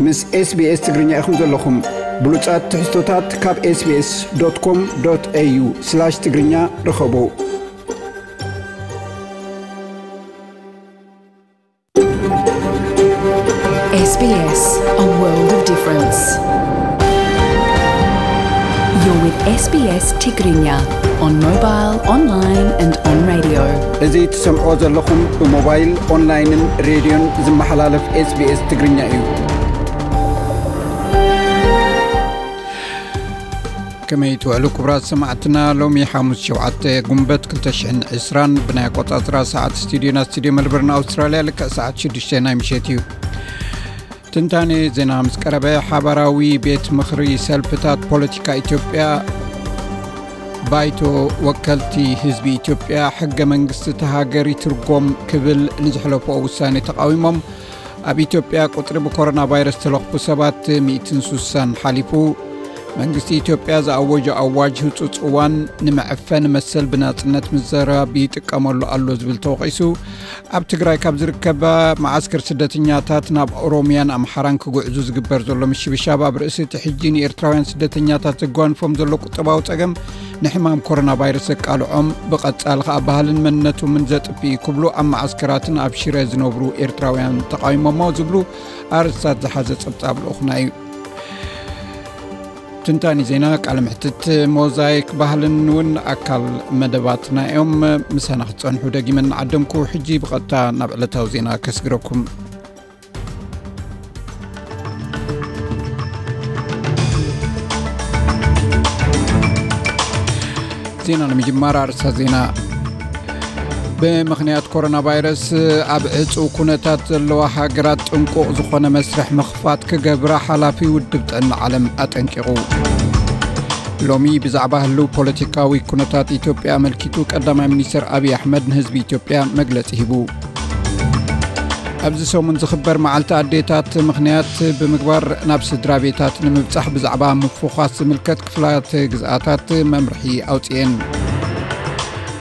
ምስ SBS ትግርኛ ኢኹም ዘለኹም። ብሉጻት ትሕዝቶታት ካብ SBS.com.au/ትግርኛ ርኸቡ። S B S, a world of difference. You're with S B S Tigrinya on mobile, online and on radio. እዚ ትሰምዖ ዘለኹም ብሞባይል፣ ኦንላይንን ሬድዮን ዝመሓላለፍ SBS ትግርኛ እዩ። ከመይ ትውዕሉ ክቡራት ሰማዕትና? ሎሚ ሓሙስ ሸውዓተ ጉንበት ክልተ ሽሕን ዕስራን ብናይ ኣቆጻጽራ ሰዓት ስቱዲዮና ስቱዲዮ መልበርን ኣውስትራልያ ልክዕ ሰዓት ሽዱሽተ ናይ ምሸት እዩ። ትንታኔ ዜና ምስ ቀረበ፣ ሓባራዊ ቤት ምኽሪ ሰልፍታት ፖለቲካ ኢትዮጵያ ባይቶ ወከልቲ ህዝቢ ኢትዮጵያ ሕገ መንግስቲ እታ ሃገር ይትርጎም ክብል ንዝሕለፎ ውሳኔ ተቃዊሞም። ኣብ ኢትዮጵያ ቁጽሪ ብኮሮና ቫይረስ ተለኽፉ ሰባት ሚእትን ሱሳን ሓሊፉ። መንግስቲ ኢትዮጵያ ዝኣወጆ ኣዋጅ ህጹጽ እዋን ንምዕፈን መሰል ብናጽነት ምዝራብ ይጥቀመሉ ኣሎ ዝብል ተወቒሱ። ኣብ ትግራይ ካብ ዝርከባ መዓስከር ስደተኛታት ናብ ኦሮሚያን ኣምሓራን ክጉዕዙ ዝግበር ዘሎ ምሽብሻብ ኣብ ርእሲ እቲ ሕጂ ንኤርትራውያን ስደተኛታት ዘጓንፎም ዘሎ ቁጠባዊ ጸገም ንሕማም ኮሮና ቫይረስ ዘቃልዖም ብቐጻሊ ከኣ ባህልን መንነቶምን ዘጥፍእ እዩ ክብሉ ኣብ መዓስከራትን ኣብ ሽረ ዝነብሩ ኤርትራውያን ተቓዊሞሞ ዝብሉ ኣርእስታት ዝሓዘ ጸብጻብ ልኡኽና እዩ። ትንታኒ ዜና፣ ቃለ መሕትት፣ ሞዛይክ ባህልን እውን ኣካል መደባትና እዮም። ምሳና ክትጸንሑ ደጊመ እናዓደምኩ፣ ሕጂ ብቐጥታ ናብ ዕለታዊ ዜና ከስግረኩም። ዜና ንምጅማር ኣርእስታት ዜና። ብምኽንያት ኮሮና ቫይረስ ኣብ ዕጹው ኩነታት ዘለዋ ሃገራት ጥንቁቕ ዝኾነ መስርሕ ምኽፋት ክገብራ ሓላፊ ውድብ ጥዕና ዓለም ኣጠንቂቑ። ሎሚ ብዛዕባ ህልው ፖለቲካዊ ኩነታት ኢትዮጵያ ኣመልኪቱ ቀዳማይ ሚኒስትር ኣብይ ኣሕመድ ንህዝቢ ኢትዮጵያ መግለጺ ሂቡ። ኣብዚ ሰሙን ዝኽበር መዓልቲ ኣዴታት ምኽንያት ብምግባር ናብ ስድራ ቤታት ንምብጻሕ ብዛዕባ ምፍዃስ ዝምልከት ክፍላት ግዝኣታት መምርሒ ኣውጽኤን።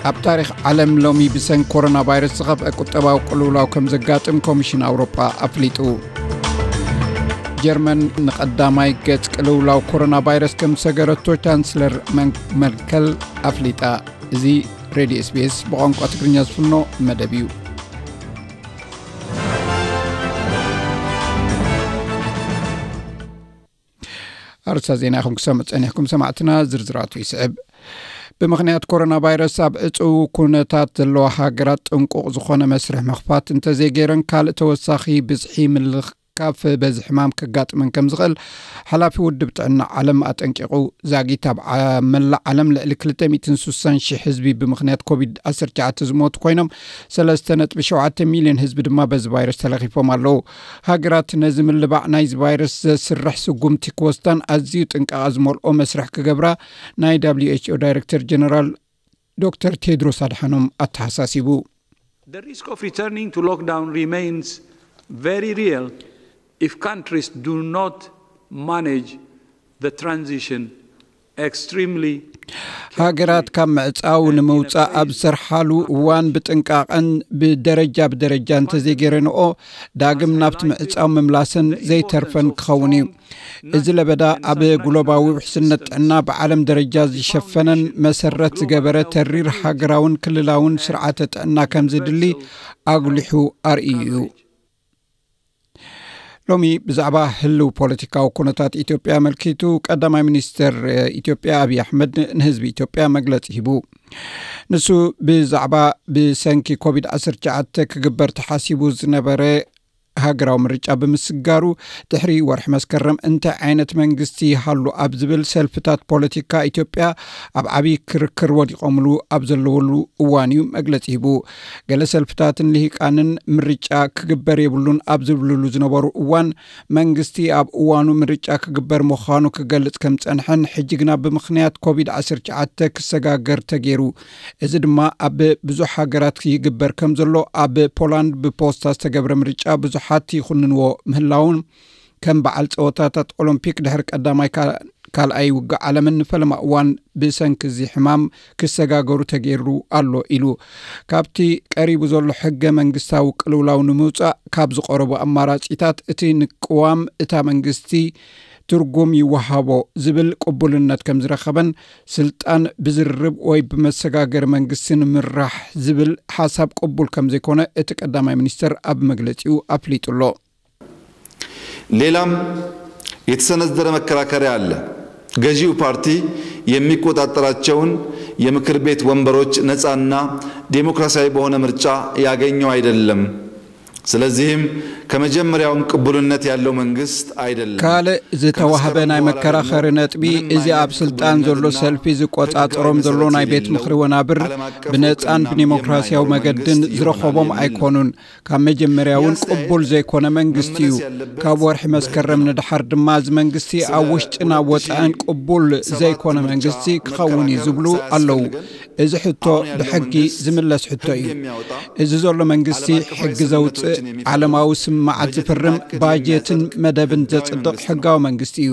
ኣብ ታሪኽ ዓለም ሎሚ ብሰንኪ ኮሮና ቫይረስ ዝኸፍአ ቁጠባዊ ቅልውላው ከም ዘጋጥም ኮሚሽን ኣውሮጳ ኣፍሊጡ። ጀርመን ንቐዳማይ ገጽ ቅልውላው ኮሮና ቫይረስ ከም ዝሰገረቶ ቻንስለር መን-፣ መርከል ኣፍሊጣ። እዚ ሬድዮ ኤስቢኤስ ብቋንቋ ትግርኛ ዝፍኖ መደብ እዩ። ኣርእስታት ዜና ኢኹም ክሰምዑ ጸኒሕኩም ሰማዕትና፣ ዝርዝራቱ ይስዕብ። ብምኽንያት ኮሮና ቫይረስ ኣብ ዕጹው ኩነታት ዘለዋ ሃገራት ጥንቁቕ ዝኾነ መስርሕ ምኽፋት እንተዘይገይረን ካልእ ተወሳኺ ብዝሒ ምልካፍ በዚ ሕማም ከጋጥመን ከም ዝኽእል ሓላፊ ውድብ ጥዕና ዓለም ኣጠንቂቑ። ዛጊት ኣብ ዓ-፣ መላእ ዓለም ልዕሊ ክልተ ሚእትን ሱሳን ሺሕ ህዝቢ ብምኽንያት ኮቪድ ዓሰርተ ትሽዓተ ዝሞቱ ኮይኖም ሰለስተ ነጥቢ ሸውዓተ ሚልዮን ህዝቢ ድማ በዚ ቫይረስ ተለኺፎም ኣለዉ። ሃገራት ነዚ ምልባዕ ናይዚ ቫይረስ ዘስርሕ ስጉምቲ ክወስዳን ኣዝዩ ጥንቃቐ ዝመልኦ መስርሕ ክገብራ ናይ ደብሊው ኤች ኦ ዳይሬክተር ጀነራል ዶክተር ቴድሮስ ኣድሓኖም ኣተሓሳሲቡ። The risk of returning to lockdown remains very real if countries do not manage the transition extremely ሃገራት ካብ ምዕጻው ንምውጻእ ኣብ ዝሰርሓሉ እዋን ብጥንቃቐን ብደረጃ ብደረጃ እንተዘይገይረንኦ ዳግም ናብቲ ምዕጻው ምምላሰን ዘይተርፈን ክኸውን እዩ። እዚ ለበዳ ኣብ ግሎባዊ ውሕስነት ጥዕና ብዓለም ደረጃ ዝሸፈነን መሰረት ዝገበረ ተሪር ሃገራውን ክልላውን ስርዓተ ጥዕና ከም ዝድሊ ኣጉሊሑ ኣርእዩ እዩ። ሎሚ ብዛዕባ ህልው ፖለቲካዊ ኩነታት ኢትዮጵያ ኣመልኪቱ ቀዳማይ ሚኒስትር ኢትዮጵያ ኣብይ ኣሕመድ ንህዝቢ ኢትዮጵያ መግለጺ ሂቡ። ንሱ ብዛዕባ ብሰንኪ ኮቪድ ዓሰርተ ትሽዓተ ክግበር ተሓሲቡ ዝነበረ ሃገራዊ ምርጫ ብምስጋሩ ድሕሪ ወርሒ መስከረም እንታይ ዓይነት መንግስቲ ይሃሉ ኣብ ዝብል ሰልፍታት ፖለቲካ ኢትዮጵያ ኣብ ዓብዪ ክርክር ወዲቖምሉ ኣብ ዘለውሉ እዋን እዩ መግለጺ ሂቡ። ገለ ሰልፍታትን ልሂቃንን ምርጫ ክግበር የብሉን ኣብ ዝብልሉ ዝነበሩ እዋን መንግስቲ ኣብ እዋኑ ምርጫ ክግበር ምዃኑ ክገልጽ ከም ዝጸንሐን ሕጂ ግና ብምኽንያት ኮቪድ ዓሰርተ ትሽዓተ ክሰጋገር ተገይሩ። እዚ ድማ ኣብ ብዙሕ ሃገራት ይግበር ከም ዘሎ ኣብ ፖላንድ ብፖስታ ዝተገብረ ምርጫ ብዙሓት ይኹንንዎ ምህላውን ከም በዓል ጸወታታት ኦሎምፒክ ድሕሪ ቀዳማይ ካ-፣ ካልኣይ ውግእ ዓለምን ንፈለማ እዋን ብሰንኪ እዚ ሕማም ክሰጋገሩ ተገይሩ ኣሎ ኢሉ። ካብቲ ቀሪቡ ዘሎ ሕገ መንግስታዊ ቅልውላው ንምውፃእ ካብ ዝቐረቡ ኣማራፂታት እቲ ንቅዋም እታ መንግስቲ ትርጉም ይወሃቦ ዝብል ቅቡልነት ከም ዝረኸበን ስልጣን ብዝርርብ ወይ ብመሰጋገሪ መንግስቲ ንምራሕ ዝብል ሓሳብ ቅቡል ከም ዘይኮነ እቲ ቀዳማይ ሚኒስትር ኣብ መግለፂኡ ኣፍሊጡ ኣሎ። ሌላም የተሰነዘረ መከራከሪያ አለ። ገዢው ፓርቲ የሚቆጣጠራቸውን የምክር ቤት ወንበሮች ነፃና ዴሞክራሲያዊ በሆነ ምርጫ ያገኘው አይደለም። ስለዚህም ከመጀመሪያውም ቅቡልነት ያለው መንግስት አይደለም። ካልእ ዝተዋህበ ናይ መከራኸሪ ነጥቢ እዚ ኣብ ስልጣን ዘሎ ሰልፊ ዝቆጻጸሮም ዘሎ ናይ ቤት ምኽሪ ወናብር ብነጻን ብዴሞክራሲያዊ መገድን ዝረኸቦም ኣይኮኑን። ካብ መጀመርያ እውን ቅቡል ዘይኮነ መንግስቲ እዩ። ካብ ወርሒ መስከረም ንድሓር ድማ እዚ መንግስቲ ኣብ ውሽጥን ኣብ ወጻእን ቅቡል ዘይኮነ መንግስቲ ክኸውን እዩ ዝብሉ ኣለዉ። እዚ ሕቶ ብሕጊ ዝምለስ ሕቶ እዩ። እዚ ዘሎ መንግስቲ ሕጊ ዘውፅእ፣ ዓለማዊ ስምምዓት ዝፍርም፣ ባጀትን መደብን ዘፅድቕ ሕጋዊ መንግስቲ እዩ።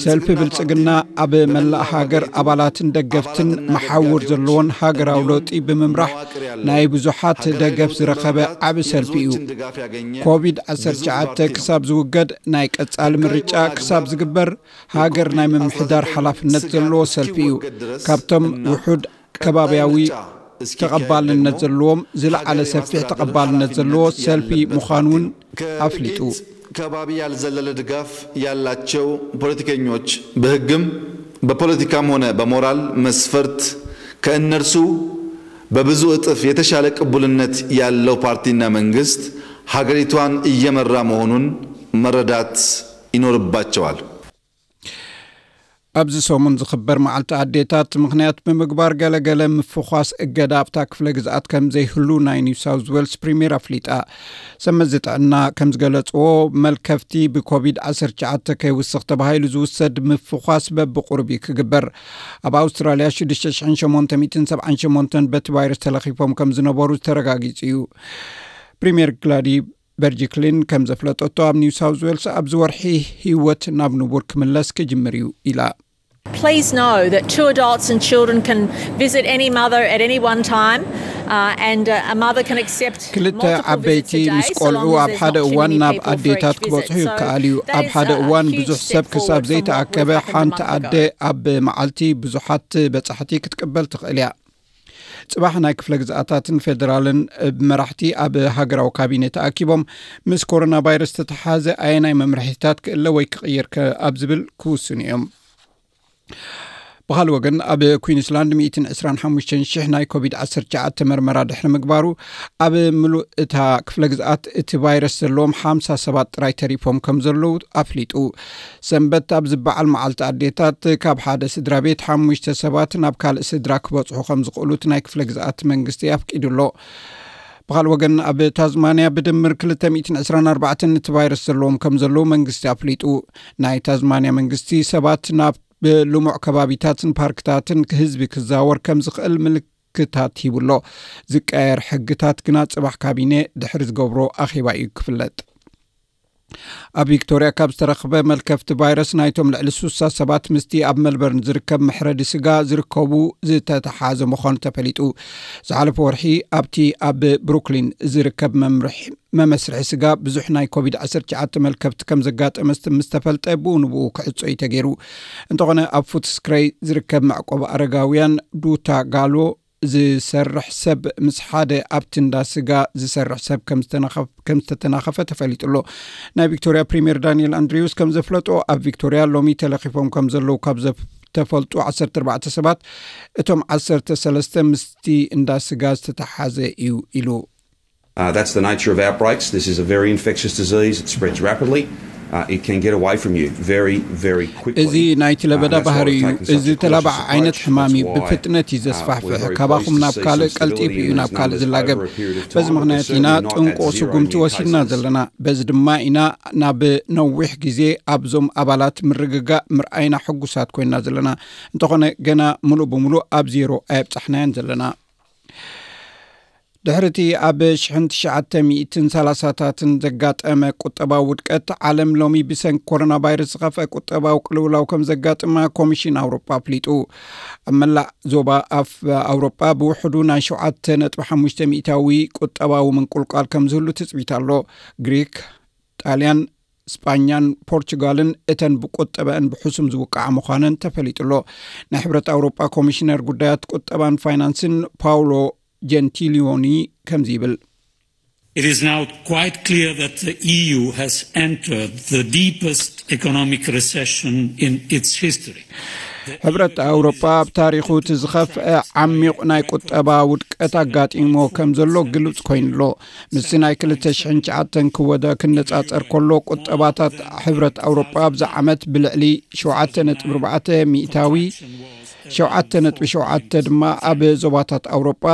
ሰልፊ ብልፅግና ኣብ መላእ ሃገር ኣባላትን ደገፍትን መሓውር ዘለዎን ሃገራዊ ለውጢ ብምምራሕ ናይ ብዙሓት ደገፍ ዝረኸበ ዓቢ ሰልፊ እዩ። ኮቪድ ዓሰርተ ትሽዓተ ክሳብ ዝውገድ፣ ናይ ቀጻሊ ምርጫ ክሳብ ዝግበር፣ ሃገር ናይ ምምሕዳር ሓላፍነት ዘለዎ ሰልፊ እዩ። ካብቶም ውሑድ ከባቢያዊ ተቐባልነት ዘለዎም ዝለዓለ ሰፊሕ ተቐባልነት ዘለዎ ሰልፊ ምዃኑ እውን ኣፍሊጡ። ከባቢ ያልዘለለ ድጋፍ ያላቸው ፖለቲከኞች በህግም በፖለቲካም ሆነ በሞራል መስፈርት ከእነርሱ በብዙ እጥፍ የተሻለ ቅቡልነት ያለው ፓርቲና መንግስት ሀገሪቷን እየመራ መሆኑን መረዳት ይኖርባቸዋል። ኣብዚ ሰሙን ዝኽበር መዓልቲ ኣዴታት ምኽንያት ብምግባር ገለገለ ምፍዃስ እገዳ ኣብታ ክፍለ ግዝኣት ከም ዘይህሉ ናይ ኒው ሳውዝ ዌልስ ፕሪምየር ኣፍሊጣ። ሰመዚ ጥዕና ከም ዝገለጽዎ፣ መልከፍቲ ብኮቪድ ዓሰርተ ትሽዓተ ከይውስኽ ተባሂሉ ዝውሰድ ምፍዃስ በብቑሩብ እዩ ክግበር። ኣብ ኣውስትራልያ ሽዱሽተ ሽሕን ሸሞንተ ሚእትን ሰብዓን ሸሞንተን በቲ ቫይረስ ተለኺፎም ከም ዝነበሩ ተረጋጊጹ እዩ። ፕሪምየር ግላዲ በርጅክሊን ከም ዘፍለጠቶ፣ ኣብ ኒው ሳውዝ ዌልስ ኣብዚ ወርሒ ህይወት ናብ ንቡር ክምለስ ክጅምር እዩ ኢላ። Please know that two adults and children can visit any mother at any one time, uh, and uh, a mother can accept ክልተ multiple visits ዓበይቲ a day ምስ so ቆልዑ long as ኣብ there's an ሓደ እዋን opportunity ናብ people for each ኣዴታት visit. ክበጽሑ So ይከኣል እዩ። that ኣብ is ሓደ a እዋን huge ብዙሕ step ሰብ ክሳብ forward from what ዘይተኣከበ we've had a ሓንቲ month ኣደ ago. ኣብ መዓልቲ ብዙሓት በጻሕቲ ክትቅበል ትኽእል እያ። ጽባሕ ናይ ክፍለ ግዝኣታትን ፌደራልን መራሕቲ ኣብ ሃገራዊ ካቢነ ተኣኪቦም ምስ ኮሮና ቫይረስ ዝተተሓዘ ኣየናይ መምርሒታት ክእለ ወይ ክቕየር ከ ኣብ ዝብል ክውስኑ እዮም። ብኻልእ ወገን ኣብ ኩዊንስላንድ ሚእትን ዕስራን ሓሙሽተን ሽሕ ናይ ኮቪድ ዓሰርተ ትሽዓተ መርመራ ድሕሪ ምግባሩ ኣብ ምሉእ እታ ክፍለ ግዝኣት እቲ ቫይረስ ዘለዎም ሓምሳ ሰባት ጥራይ ተሪፎም ከም ዘለዉ ኣፍሊጡ። ሰንበት ኣብ ዝበዓል መዓልቲ ኣዴታት ካብ ሓደ ስድራ ቤት ሓሙሽተ ሰባት ናብ ካልእ ስድራ ክበጽሑ ከም ዝኽእሉ እቲ ናይ ክፍለ ግዝኣት መንግስቲ ኣፍቂዱ ኣሎ። ብኻልእ ወገን ኣብ ታዝማንያ ብድምር ክልተ ሚእትን ዕስራን ኣርባዕተን እቲ ቫይረስ ዘለዎም ከም ዘለዉ መንግስቲ ኣፍሊጡ። ናይ ታዝማንያ መንግስቲ ሰባት ናብ ልሙዕ ከባቢታትን ፓርክታትን ህዝቢ ክዛወር ከም ዝኽእል ምልክታት ሂቡ ኣሎ። ዝቀየር ሕግታት ግና ጽባሕ ካቢነ ድሕሪ ዝገብሮ ኣኼባ እዩ ክፍለጥ። ኣብ ቪክቶርያ ካብ ዝተረኽበ መልከፍቲ ቫይረስ ናይቶም ልዕሊ ሱሳ ሰባት ምስቲ ኣብ መልበርን ዝርከብ መሕረዲ ስጋ ዝርከቡ ዝተተሓዘ ምዃኑ ተፈሊጡ። ዝሓለፈ ወርሒ ኣብቲ ኣብ ብሩክሊን ዝርከብ መምርሒ መመስርሒ ስጋ ብዙሕ ናይ ኮቪድ ዓሰርተ ትሽዓተ መልከፍቲ ከም ዘጋጠመ ምስ ተፈልጠ ብኡ ንብኡ ክዕጾ እዩ ተገይሩ። እንተኾነ ኣብ ፉትስክረይ ዝርከብ መዕቆቢ ኣረጋውያን ዱታ ጋሎ ዝሰርሕ ሰብ ምስ ሓደ ኣብቲ እንዳ ስጋ ዝሰርሕ ሰብ ከም ዝተናኸፍ- ከም ዝተተናኸፈ ተፈሊጡ ኣሎ። ናይ ቪክቶርያ ፕሪምየር ዳንኤል ኣንድሪውስ ከም ዘፍለጦ ኣብ ቪክቶርያ ሎሚ ተለኺፎም ከም ዘለዉ ካብ ዘፍ- ተፈልጡ ዓሰርተ ኣርባዕተ ሰባት እቶም ዓሰርተ ሰለስተ ምስቲ እንዳ ስጋ ዝተተሓዘ እዩ ኢሉ። Uh, that's the nature of outbreaks. This is a very infectious disease. It spreads rapidly. Uh, it can get away from you very, very quickly. እዚ ናይቲ ለበዳ ባህሪ እዩ። እዚ ተላባዕ ዓይነት ሕማም እዩ። ብፍጥነት እዩ ዘስፋሕፍሕ። ካባኹም ናብ ካልእ ቀልጢፉ እዩ ናብ ካልእ ዝላገብ። በዚ ምኽንያት ኢና ጥንቁቕ ስጉምቲ ወሲድና ዘለና። በዚ ድማ ኢና ናብ ነዊሕ ግዜ ኣብዞም ኣባላት ምርግጋእ ምርኣይና ሕጉሳት ኮይና ዘለና። እንተኾነ ገና ምሉእ ብምሉእ ኣብ ዜሮ ኣየብጻሕናዮን ዘለና። ድሕርቲ ኣብ ሽሕን ትሽዓተ ሚእትን ሰላሳታትን ዘጋጠመ ቁጠባዊ ውድቀት፣ ዓለም ሎሚ ብሰንኪ ኮሮና ቫይረስ ዝኸፍአ ቁጠባዊ ቅልውላው ከም ዘጋጥማ ኮሚሽን ኣውሮጳ ኣፍሊጡ። ኣብ መላእ ዞባ ኣፍ ኣውሮጳ ብውሕዱ ናይ ሸውዓተ ነጥቢ ሓሙሽተ ሚእታዊ ቁጠባዊ ምንቁልቋል ከም ዝህሉ ትጽቢት ኣሎ። ግሪክ፣ ጣልያን፣ ስጳኛን ፖርቹጋልን እተን ብቁጠበአን ብሕሱም ዝውቃዓ ምዃነን ተፈሊጡ ኣሎ። ናይ ሕብረት ኣውሮጳ ኮሚሽነር ጉዳያት ቁጠባን ፋይናንስን ፓውሎ ጀንቲሊዮኒ ከምዚ ይብል። It is now quite clear that the E U has entered the deepest economic recession in its history. ሕብረት ኣውሮጳ ኣብ ታሪኹ እቲ ዝኸፍአ ዓሚቕ ናይ ቁጠባ ውድቀት ኣጋጢሞ ከም ዘሎ ግልጽ ኮይኑ ኣሎ። ምስቲ ናይ ክልተ ሽሕን ትሽዓተን ክወዳ ክነጻጸር ከሎ፣ ቁጠባታት ሕብረት ኣውሮጳ ኣብዚ ዓመት ብልዕሊ ሸውዓተ ነጥቢ ኣርባዕተ ሚእታዊ፣ ሸውዓተ ነጥቢ ሸውዓተ ድማ ኣብ ዞባታት ኣውሮጳ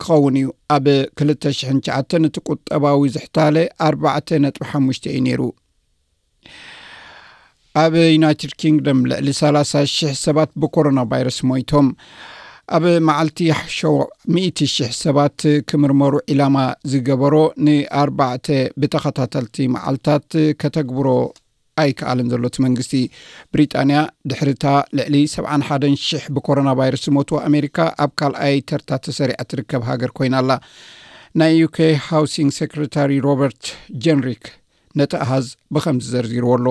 ክኸውን እዩ። ኣብ ክልተ ሽሕን ትሽዓተን እቲ ቁጠባዊ ዝሕታለ ኣርባዕተ ነጥቢ ሓሙሽተ እዩ ነይሩ። ኣብ ዩናይትድ ኪንግደም ልዕሊ ሰላሳ ሽሕ ሰባት ብኮሮና ቫይረስ ሞይቶም። ኣብ መዓልቲ ሸው-፣ ሚእቲ ሽሕ ሰባት ክምርመሩ ዒላማ ዝገበሮ ንኣርባዕተ ብተኸታተልቲ መዓልታት ከተግብሮ ኣይከኣልን ዘሎ እቲ መንግስቲ። ብሪጣንያ ድሕሪታ ልዕሊ ሰብዓን ሓደን ሽሕ ብኮሮና ቫይረስ ዝሞቱ ኣሜሪካ ኣብ ካልኣይ ተርታ ተሰሪዓ ትርከብ ሃገር ኮይና ኣላ። ናይ ዩኬ ሃውሲንግ ሴክሬታሪ ሮበርት ጀንሪክ ነቲ ኣሃዝ ብኸምዚ ዘርዚርዎ ኣሎ።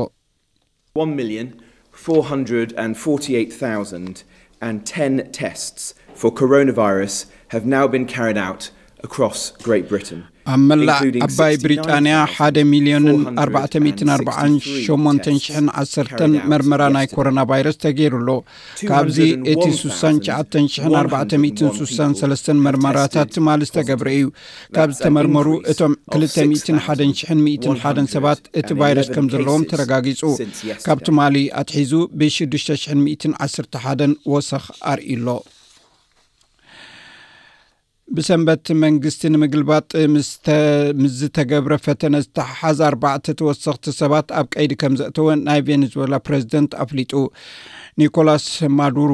One million four hundred and forty-eight thousand and ten tests for coronavirus have now been carried out across Great Britain. ኣብ መላእ ዓባይ ብሪጣንያ ሓደ ሚልዮንን ኣርባዕተ ሚእትን ኣርባዓን ሸሞንተን ሽሕን ዓሰርተን መርመራ ናይ ኮሮና ቫይረስ ተገይሩ ኣሎ። ካብዚ እቲ ሱሳን ትሽዓተን ሽሕን ኣርባዕተ ሚእትን ሱሳን ሰለስተን መርመራታት ትማሊ ዝተገብረ እዩ። ካብ ዝተመርመሩ እቶም ክልተ ሚእትን ሓደን ሽሕን ሚእትን ሓደን ሰባት እቲ ቫይረስ ከም ዘለዎም ተረጋጊጹ። ካብ ትማሊ ኣትሒዙ ብሽዱሽተ ሽሕን ሚእትን ዓሰርተ ሓደን ወሰኽ ኣርእዩ ኣሎ። ብሰንበት መንግስቲ ንምግልባጥ ምስ ዝተገብረ ፈተነ ዝተሓሓዝ ኣርባዕተ ተወሰኽቲ ሰባት ኣብ ቀይዲ ከም ዘእተወ ናይ ቬኔዙዌላ ፕሬዝደንት ኣፍሊጡ። ኒኮላስ ማዱሩ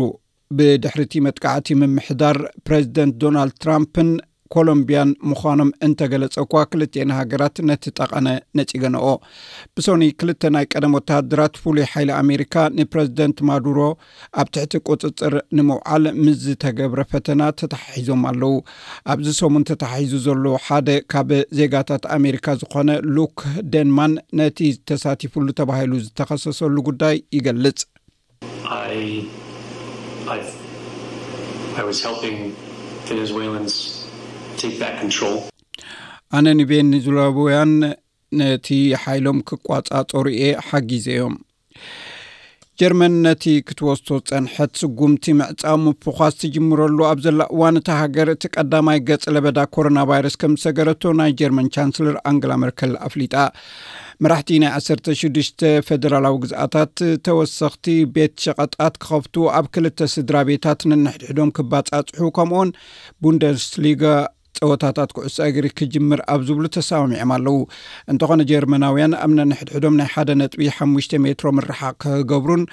ብድሕሪቲ መጥቃዕቲ ምምሕዳር ፕሬዝደንት ዶናልድ ትራምፕን ኮሎምቢያን ምዃኖም እንተገለጸ እኳ፣ ክልቲኤን ሃገራት ነቲ ጠቐነ ነጺገንኦ። ብሶኒ ክልተ ናይ ቀደም ወተሃደራት ፍሉይ ሓይሊ ኣሜሪካ ንፕሬዝደንት ማዱሮ ኣብ ትሕቲ ቁጽጽር ንምውዓል ምስ ዝተገብረ ፈተና ተተሓሒዞም ኣለዉ። ኣብዚ ሰሙን ተተሓሒዙ ዘሎ ሓደ ካብ ዜጋታት ኣሜሪካ ዝኾነ ሉክ ደንማን ነቲ ተሳቲፉሉ ተባሂሉ ዝተኸሰሰሉ ጉዳይ ይገልጽ። I, I, I was helping Venezuelans take back control. ኣነ ንቬኔዙላውያን ነቲ ሓይሎም ክቋጻጸሩ እየ ሓጊዘዮም። ጀርመን ነቲ ክትወስዶ ጸንሐት ስጉምቲ ምዕጻው ምፍዃስ ትጅምረሉ ኣብ ዘላ እዋን፣ እታ ሃገር እቲ ቀዳማይ ገጽ ለበዳ ኮሮና ቫይረስ ከም ዝሰገረቶ ናይ ጀርመን ቻንስለር ኣንገላ መርከል ኣፍሊጣ። መራሕቲ ናይ ዓሰርተ ሽዱሽተ ፌደራላዊ ግዝኣታት ተወሰኽቲ ቤት ሸቐጣት ክኸፍቱ፣ ኣብ ክልተ ስድራ ቤታት ነንሕድሕዶም ክባጻጽሑ፣ ከምኡውን ቡንደስሊጋ ጸወታታት ኩዕሶ እግሪ ክጅምር ኣብ ዝብሉ ተሰማሚዖም ኣለዉ። እንተኾነ ጀርመናውያን ኣብ ነንሕድሕዶም ናይ ሓደ ነጥቢ ሓሙሽተ ሜትሮ ምርሓቕ ክገብሩን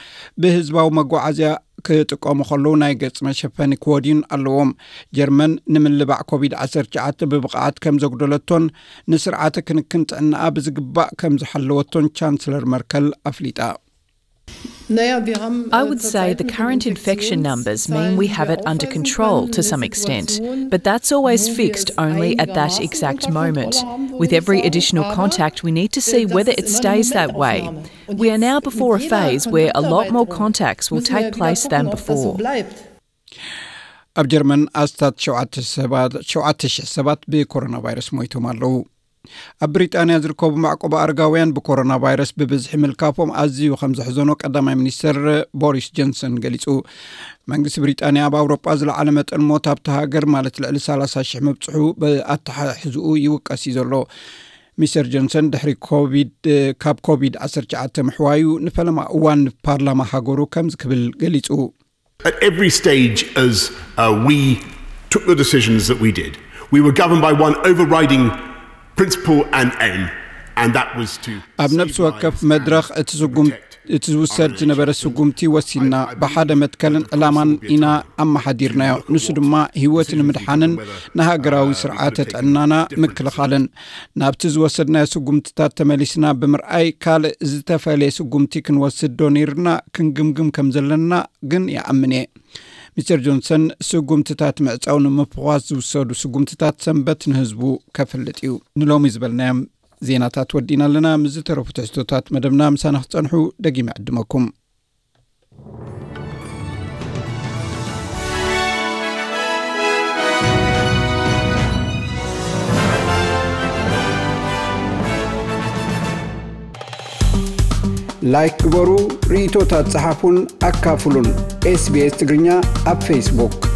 ብህዝባዊ መጓዓዝያ ክጥቀሙ ከለዉ ናይ ገጽ መሸፈኒ ክወድዩን ኣለዎም። ጀርመን ንምልባዕ ኮቪድ ዓሰርተ ትሽዓተ ብብቕዓት ከም ዘጉደለቶን ንስርዓተ ክንክን ጥዕናኣ ብዝግባእ ከም ዝሓለወቶን ቻንስለር መርከል ኣፍሊጣ። I would say the current infection numbers mean we have it under control to some extent, but that's always fixed only at that exact moment. With every additional contact, we need to see whether it stays that way. We are now before a phase where a lot more contacts will take place than before. ኣብ ጀርመን ኣስታት ሸውዓተ ሰባት፣ ሸውዓተ ሽሕ ሰባት ብኮሮና ቫይረስ ሞይቶም ኣለዉ። ኣብ ብሪጣንያ ዝርከቡ መዕቆቢ ኣረጋውያን ብኮሮና ቫይረስ ብብዝሒ ምልካፎም ኣዝዩ ከም ዘሕዘኖ ቀዳማይ ሚኒስተር ቦሪስ ጆንሰን ገሊጹ። መንግስቲ ብሪጣንያ ኣብ ኣውሮጳ ዝለዓለ መጠን ሞት ኣብታ ሃገር፣ ማለት ልዕሊ ሰላሳ ሽሕ ምብጽሑ ብኣተሓሕዝኡ ይውቀስ እዩ ዘሎ። ሚስተር ጆንሰን ድሕሪ ኮቪድ፣ ካብ ኮቪድ ዓሰርተ ትሽዓተ ምሕዋዩ ንፈለማ እዋን ንፓርላማ ሃገሩ ከምዚ ክብል ገሊጹ። At every stage, as uh, we took the decisions that we did, we were governed by one overriding principle and aim, and that was to ኣብ ነፍሲ ወከፍ መድረኽ እቲ ስጉምቲ እቲ ዝውሰድ ዝነበረ ስጉምቲ ወሲንና፣ ብሓደ መትከልን ዕላማን ኢና ኣመሓዲርናዮ። ንሱ ድማ ህይወት ንምድሓንን ንሃገራዊ ስርዓተ ጥዕናና ምክልኻልን። ናብቲ ዝወሰድናዮ ስጉምትታት ተመሊስና ብምርኣይ፣ ካልእ ዝተፈለየ ስጉምቲ ክንወስድ ዶ ነይርና ክንግምግም ከም ዘለና ግን ይኣምን እየ። ሚስተር ጆንሰን፣ ስጉምትታት ምዕጻው ንምፍዃስ ዝውሰዱ ስጉምትታት ሰንበት ንህዝቡ ከፍልጥ እዩ። ንሎሚ ዝበልናዮም ዜናታት ወዲእና ኣለና። ምስ ዝተረፉ ትሕዝቶታት መደብና ምሳና ክትጸንሑ ደጊመ ዕድመኩም። ላይክ ግበሩ፣ ርእይቶታት ጸሓፉን ኣካፍሉን። ኤስቢኤስ ትግርኛ ኣብ ፌስቡክ።